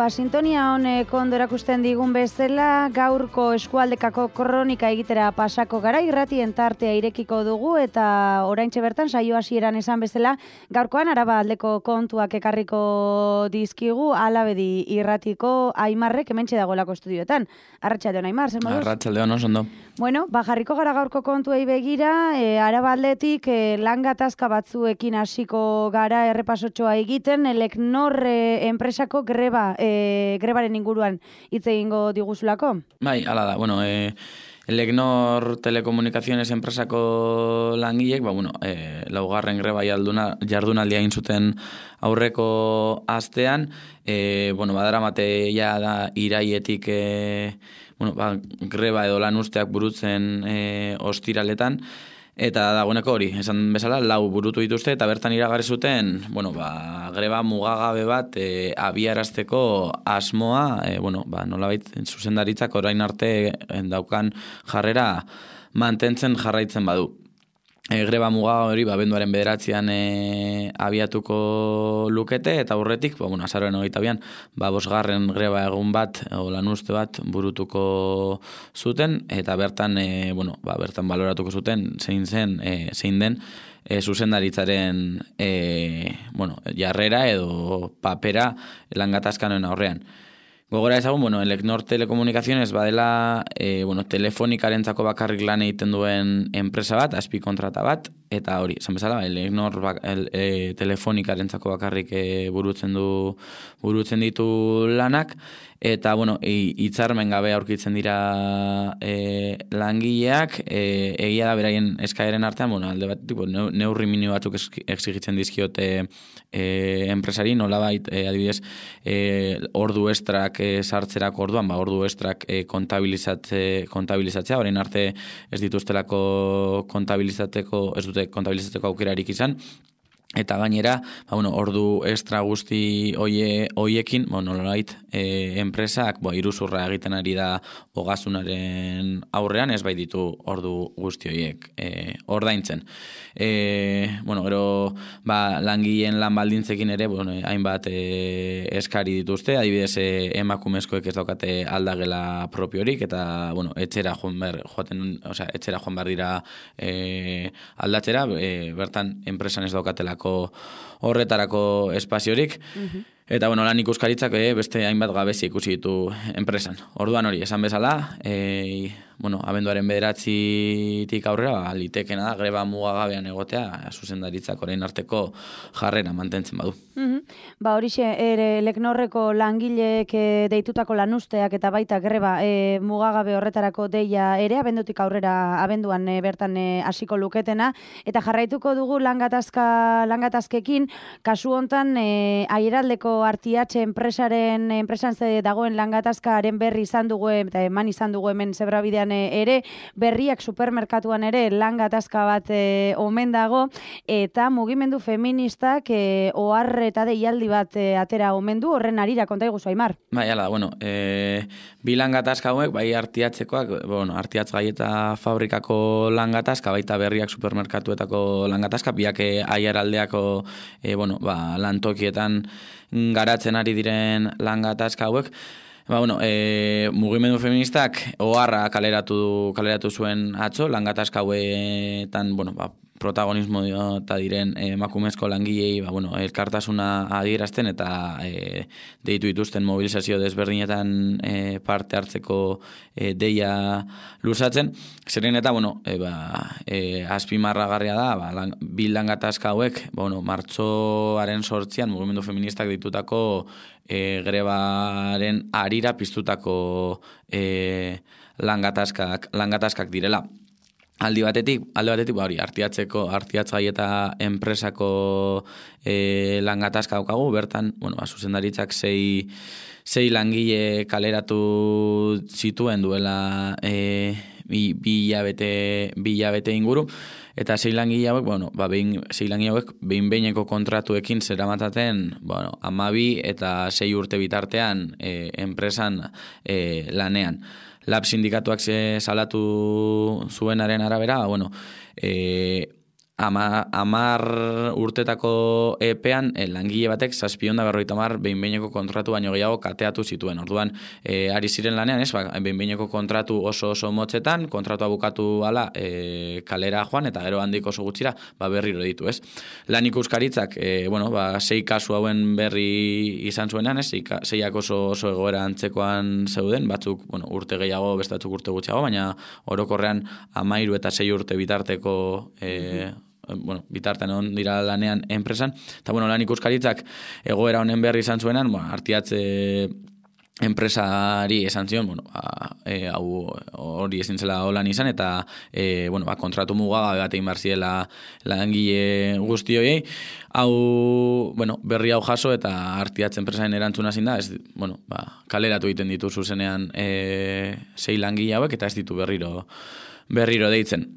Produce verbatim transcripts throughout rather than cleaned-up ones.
Ba, sintonia honek ondo erakusten digun bezala, gaurko eskualdekako kronika egitera pasako gara, irratien tartea irekiko dugu, eta oraintxe bertan saio hasieran esan bezala, gaurkoan Araba aldeko kontuak ekarriko dizkigu, Alabedi irratiko Aimarrek hementxe dagoelako estudioetan. Arratsaldeon Aimar, zer moduz? Arratsaldeon, oso ondo. Bueno, ba, jarriko gara gaurko kontuei begira, e, Araba aldetik e, lan gatazka batzuekin hasiko gara errepasotxoa egiten, Elecnor e, enpresako greba, e, grebaren inguruan hitz egingo diguzulako? Bai, hala da, bueno, e, Elecnor Telecomunicaciones enpresako langilek, ba, bueno, e, laugarren greba jarduna, jardunaldia egin zuten aurreko astean, e, bueno, badaramate ja da iraietik e, bueno, ba, greba edo lan usteak burutzen e, ostiraletan, eta dagoeneko hori, esan bezala, lau burutu dituzte, eta bertan iragarri zuten, bueno, ba, greba mugagabe bat e, abiarazteko asmoa, e, bueno, ba, nolabait zuzendaritzak orain arte daukan jarrera mantentzen jarraitzen badu. E, greba muga hori ba, abenduaren bederatzean e, abiatuko lukete, eta aurretik, ba, bueno, azaroaren hogeita bian, ba, bosgarren greba egun bat, o lanuzte bat burutuko zuten, eta bertan, e, bueno, ba, bertan baloratuko zuten, zein zen, e, zein den, e, zuzendaritzaren e, bueno, jarrera edo papera langatazkanoen aurrean. Gogora ezagun, bueno, Elecnor Telecomunicaciones badela e, bueno, telefonikarentzako bakarrik lan egiten duen enpresa bat, azpi kontrata bat, eta hori, esan bezala, Elecnor bak, el, e, telefonikarentzako bakarrik e, burutzen du burutzen ditu lanak, eta, bueno, hitzarmen gabe aurkitzen dira e, langileak, e, egia da beraien eskaeren artean, bueno, alde bat, tipo, neurri minimo batzuk exigitzen dizkiote e, enpresari, nolabait, e, adibidez, e, ordu estrak e, sartzerako orduan, ba, ordu estrak e, kontabilizatze, kontabilizatzea, orain arte ez dituztelako kontabilizateko, ez dute kontabilizatzeko aukerarik izan, eta gainera, ba, bueno, ordu extra guzti oie, oiekin, bueno, nolabait, e, enpresak bo, iruzurra egiten ari da ogasunaren aurrean, ez bai ditu ordu guzti oiek e, ordaintzen. E, bueno, gero, ba, langileen lan baldintzekin ere, bueno, hainbat e, eskari dituzte, adibidez e, emakumezkoek ez daukate aldagela propiorik, eta, bueno, etxera joan behar, joaten, osea, etxera joan behar dira e, aldatzera, e, bertan enpresan ez daukatelako horretarako espaziorik. Uh-huh. Eta, bueno, lan ikuskaritzak eh, beste hainbat gabezi ikusi ditu enpresan. Orduan hori, esan bezala, e, bueno, abenduaren bederatzitik aurrera, ba, litekena da, greba mugagabean egotea, zuzendaritzak orain arteko jarrera mantentzen badu. Uh-huh. Ba, horixe, ere, Elecnorreko langileek e, deitutako lanuzteak eta baita greba e, mugagabe horretarako deia ere, abendutik aurrera, abenduan e, bertan hasiko e, luketena, eta jarraituko dugu langatazka, langatazkekin, kasu hontan, e, aieraldeko Artiatxe enpresaren, enpresan ze dagoen langatazkaren berri izan dugu, eta eman izan dugu hemen zebrabidean ere, berriak supermerkatuan ere langatazka bat e, omen dago, eta mugimendu feministak e, ohar eta deialdi bat e, atera omen du, horren arira konta iguzu, Aimar. Bai, ala, bueno, e, bi langatazka hauek, bai Artiatxekoak, bueno, Artiatz Gaieta fabrikako langatazka, baita berriak supermerkatuetako langatazka, biak aiaraldeako e, bueno, ba, lantokietan garatzen ari diren langatazka hauek. Ba, bueno, e, mugimendu feministak oharra kaleratu, kaleratu zuen atzo, langatazka hauetan, bueno, ba, protagonismo eta diren emakumezko langilei, ba, bueno, elkartasuna adierazten eta e, deitu dituzten mobilizazio desberdinetan e, parte hartzeko e, deia luzatzen. Zeren eta, bueno, e, ba, e, azpimarragarria da, ba, lang, bi langatazka hauek, ba, bueno, martxoaren sortzian mugimendu feministak ditutako e, grebaren arira piztutako e, langatazkak, langatazkak direla. Aldi batetik, alde batetik, ba hori, Artiatzeko, Artiatz Gaieta enpresako e, langatazka daukagu, bertan, bueno, ba, zuzendaritzak sei, sei langile kaleratu zituen duela e, bi, bi hilabete, bi hilabete inguru, eta sei langile hauek, bueno, ba, behin, sei langile hauek behin behineko kontratuekin zeramataten, bueno, amabi eta sei urte bitartean e, enpresan e, lanean. Lab sindikatuak ze salatu zuenaren arabera, bueno, e, ama, amar urtetako epean e, langile batek zazpion da berroita mar behin-behineko kontratu baino gehiago kateatu zituen. Orduan, e, ari ziren lanean, ez, ba, behin-behineko kontratu oso oso motzetan, kontratua bukatu ala e, kalera joan, eta gero handik oso gutxira, ba, berriro ditu, ez. Lan ikuskaritzak, e, bueno, ba, sei kasu hauen berri izan zuenean, ez, seiak oso, oso egoera antzekoan zeuden, batzuk, bueno, urte gehiago, beste batzuk urte gutxiago, baina orokorrean amairu eta sei urte bitarteko e, bueno, bitartean on dira lanean enpresan, eta bueno, lan ikuskaritzak egoera honen berri izan zuenan, bueno, artiatze enpresari esan zion, bueno, ba, e, hau hori ezin zela holan izan, eta e, bueno, ba, kontratu mugagabe bat egin behar ziela langile guzti horiei, hau, bueno, berri hau jaso eta artiatze enpresaren erantzuna zin da, ez, bueno, ba, kaleratu egiten ditu zuzenean e, sei langile hauek, eta ez ditu berriro berriro deitzen.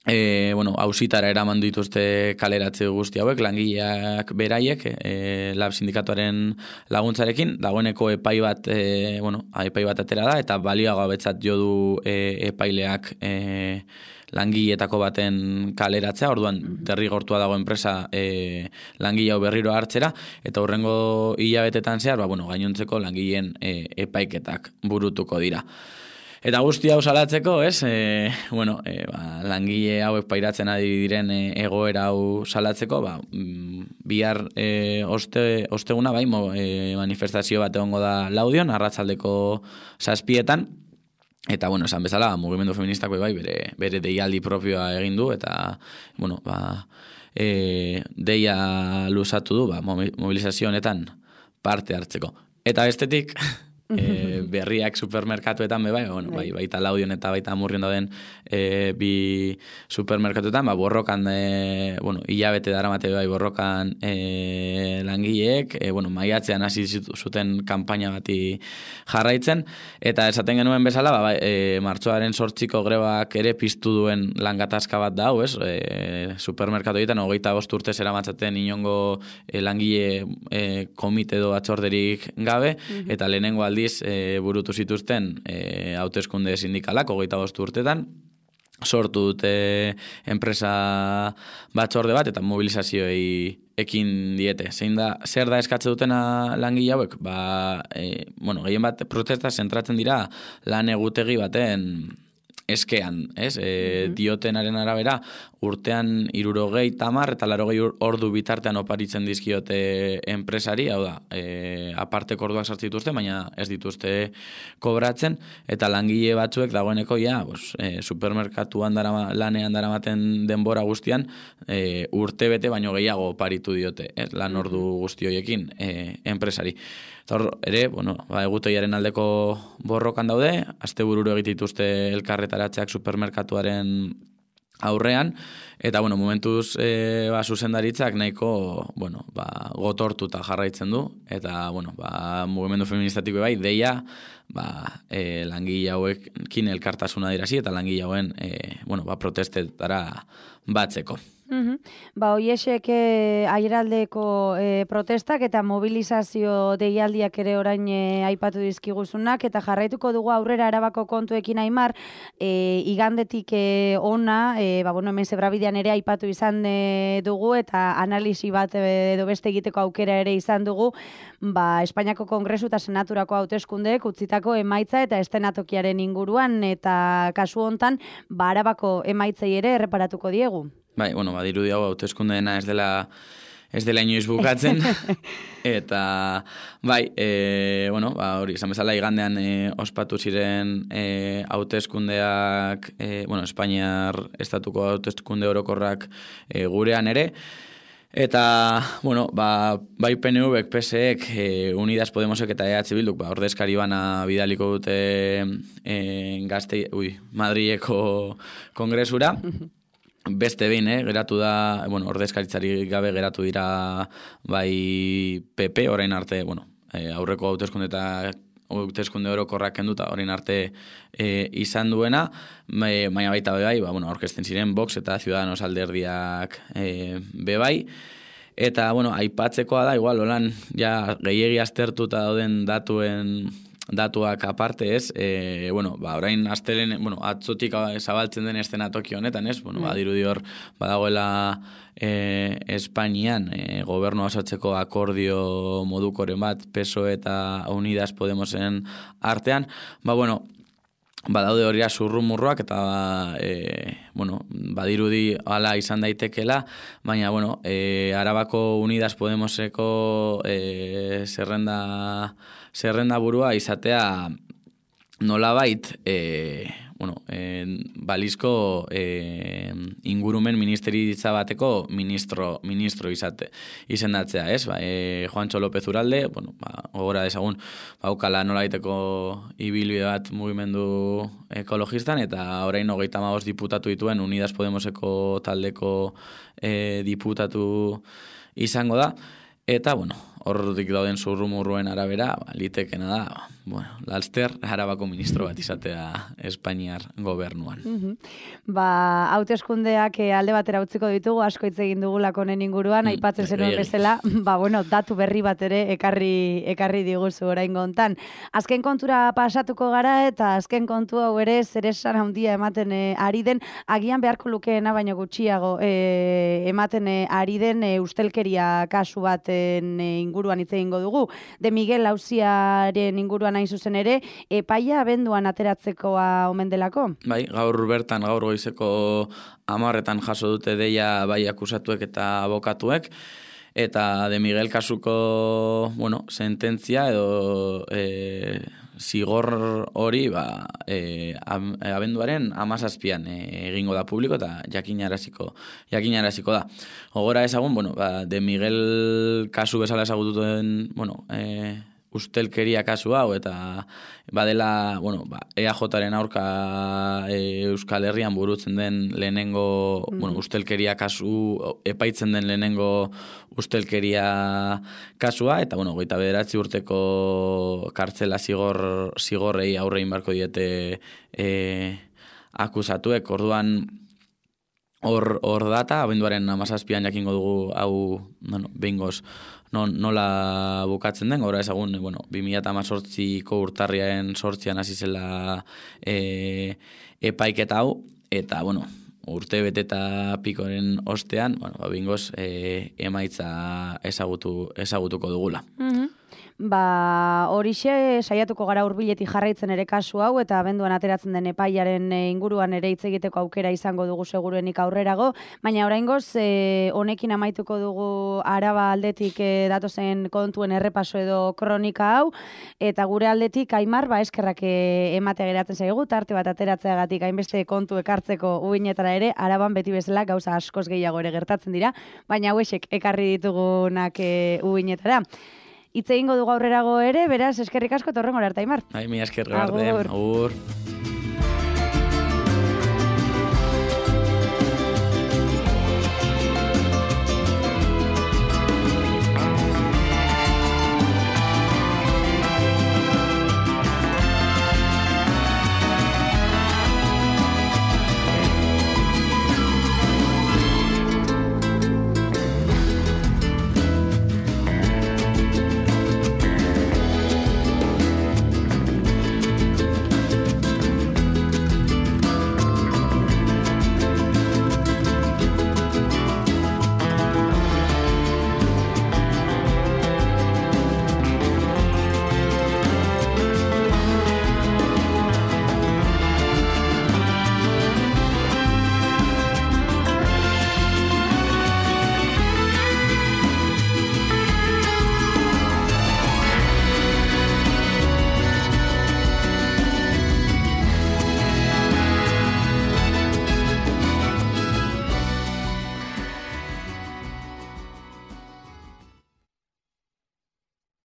E, bueno, hausitara eraman dituzte kaleratze guzti hauek, langileak beraiek, e, lab sindikatuaren laguntzarekin, dagoeneko epai bat, e, bueno, epai bat atera da, eta balioago betzat jo du e, epaileak e, langileetako baten kaleratzea, orduan derrigortua dago enpresa e, langile hau berriro hartzera, eta hurrengo hilabetetan zehar, ba, bueno, gainontzeko langileen e, epaiketak burutuko dira. Eta guzti hau salatzeko, ez, e, bueno, e, ba, langile hauek pairatzen ari diren e, egoera hau salatzeko, ba, bihar e, oste, osteguna, bai, mo, e, manifestazio bat egongo da Laudion, arratsaldeko zazpietan, eta, bueno, esan bezala, mugimendu feministako bai, bere, bere deialdi propioa egin du, eta, bueno, ba, e, deia luzatu du, ba, mobilizazio honetan parte hartzeko. Eta bestetik, e, berriak supermerkatuetan be bai, bueno, bai, baita Laudion eta baita Amurrion dauden e, bi supermerkatuetan, ba, borrokan, e, bueno, hilabete daramate bai borrokan e, langileek, e, bueno, maiatzean hasi zuten kanpaina bati jarraitzen, eta esaten genuen bezala, ba, bai, e, martxoaren sortziko grebak ere piztu duen langatazka bat da, ez? E, supermerkatuetan hogeita bost urte zeramatzaten inongo e, langile e, komite edo batzorderik gabe, mm-hmm. eta lehenengo aldiz e, burutu zituzten e, hauteskunde sindikalak hogeita bost urtetan, sortu dute enpresa batzorde bat eta mobilizazioei ekin diete. Zein da, zer da eskatze dutena langile hauek? Ba, e, bueno, gehien bat protesta zentratzen dira lan egutegi baten eskean, ez? E, mm-hmm. Diotenaren arabera, urtean hirurogei tamar eta larogei ordu bitartean oparitzen dizkiote enpresari, hau da, e, aparteko orduak sartzen dituzte, baina ez dituzte kobratzen, eta langile batzuek dagoeneko ja, bos, e, supermerkatuan darama, lanean daramaten denbora guztian, e, urte bete baino gehiago oparitu diote, ez? Lan ordu guzti horiekin e, enpresari. Eta hor, ere, bueno, ba, egutegiaren aldeko borrokan daude, astebururo egitituzte elkarretaratzeak supermerkatuaren aurrean, eta, bueno, momentuz e, ba, zuzendaritzak nahiko, bueno, ba, gotortuta jarraitzen du, eta, bueno, ba, mugimendu feministatiko bai, deia, ba, e, langile hauekin elkartasuna dirasi, eta langile hauen, e, bueno, ba, protestetara batzeko. Uhum. Ba, oiesek e, aieraldeko e, protestak eta mobilizazio deialdiak ere orain e, aipatu dizkiguzunak, eta jarraituko dugu aurrera Arabako kontuekin Aimar, e, igandetik e, ona, e, ba, bueno, hemen Zebrabidean ere aipatu izan e, dugu, eta analisi bat e, edo beste egiteko aukera ere izan dugu, ba, Espainiako Kongresu eta Senaturako hauteskundeek utzitako emaitza eta estenatokiaren inguruan, eta kasu hontan, ba, Arabako emaitzei ere erreparatuko diegu. Bai, bueno, badiru hau hauteskundeena ez dela ez dela inoiz bukatzen, eta bai, e, bueno, ba, hori, esan bezala igandean e, ospatu ziren e, hauteskundeak, e, bueno, Espainiar estatuko hauteskunde orokorrak e, gurean ere, eta, bueno, ba, bai P N V-ek, P S E-ek, e, Unidas Podemosek eta E H Bilduk, ba, ordezkari bana bidaliko dute e, gazte, ui, Madrileko kongresura, beste behin, eh, geratu da, bueno, ordezkaritzari gabe geratu dira bai P P, orain arte, bueno, eh, aurreko hauteskunde eta hauteskunde orokorrak kenduta, orain arte eh, izan duena, baina baita bai, ba, bueno, aurkezten ziren Vox eta Ciudadanos alderdiak eh, bebai, eta, bueno, aipatzekoa da, igual, holan, ja, gehiegi aztertuta dauden datuen datuak aparte, ez, e, bueno, ba, orain astelen, bueno, atzotik zabaltzen den eszenatoki honetan, ez, bueno, badirudi hor, badagoela e, Espainian, e, gobernu osatzeko akordio modukoren bat, P S O E eta Unidas Podemosen artean, ba, bueno, badaude hori zurrumurruak eta e, bueno, badirudi hala izan daitekela, baina bueno, e, Arabako Unidas Podemoseko e, zerrenda, zerrenda burua izatea nolabait e, bueno, e, balizko e, ingurumen ministeritza bateko ministro, ministro izate, izendatzea, ez? Ba, e, Juancho López Uralde, bueno, ba, gogora dezagun, baukala nolaiteko ibilbide bat mugimendu ekologistan, eta orain hogeita hamabost diputatu dituen Unidas Podemoseko taldeko e, diputatu izango da, eta, bueno, horretik dauden zurrumurruen arabera, ba, litekena da, bueno, Laster Arabako ministro bat izatea Espainiar gobernuan. Mm-hmm. Ba, hauteskundeak alde batera utziko ditugu, asko hitz egin dugulako honen inguruan, mm, aipatzen zenuen bezala, ba, bueno, datu berri bat ere ekarri, ekarri diguzu oraingo hontan. Azken kontura pasatuko gara, eta azken kontu hau ere zeresan handia ematen e, ari den, agian beharko lukeena, baino gutxiago e, ematen e, ari den e, ustelkeria kasu baten e, inguruan hitz egingo dugu. De Miguel auziaren inguruan hain zuzen ere, epaia abenduan ateratzekoa omen delako? Bai, gaur bertan, gaur goizeko hamarretan jaso dute deia bai akusatuek eta abokatuek, eta De Miguel kasuko, bueno, sententzia edo e, zigor hori, ba, e, abenduaren amazazpian e, egingo da publiko eta jakinaraziko, jakinaraziko da. Ogora ezagun, bueno, ba, De Miguel kasu bezala ezagututen, bueno, e, ustelkeria kasu hau, eta badela, bueno, ba, E A Jaren aurka e, Euskal Herrian burutzen den lehenengo, mm. bueno, ustelkeria kasu, epaitzen den lehenengo ustelkeria kasua, eta, bueno, goita bederatzi urteko kartzela zigor, zigorrei aurrein barko diete e, akusatuek, orduan hor, hor data, abenduaren amazazpian jakingo dugu hau, bueno, behingoz, non, nola bukatzen den, gora ezagun, bueno, bi mila hemezortziko urtarriaren sortzian hasi zela e, epaiketa hau, eta, bueno, urte bete eta pikoren ostean, bueno, behingoz e, emaitza ezagutu, ezagutuko dugula. Mm-hmm. Ba, horixe saiatuko gara hurbiletik jarraitzen ere kasu hau, eta abenduan ateratzen den epaiaren inguruan ere hitz egiteko aukera izango dugu seguruenik aurrerago, baina oraingoz e, honekin amaituko dugu Araba aldetik e, datozen kontuen errepaso edo kronika hau, eta gure aldetik Aimar, ba, eskerrak e, ematea geratzen zaigu, tarte bat ateratzeagatik hainbeste kontu ekartzeko uinetara ere, Araban beti bezala gauza askoz gehiago ere gertatzen dira, baina hauexek ekarri ditugunak e, uinetara. Itze egingo dugu aurrerago ere, beraz, eskerrik asko torren gora arte, Aimar. Ai, mi esker arte. Agur. Agur.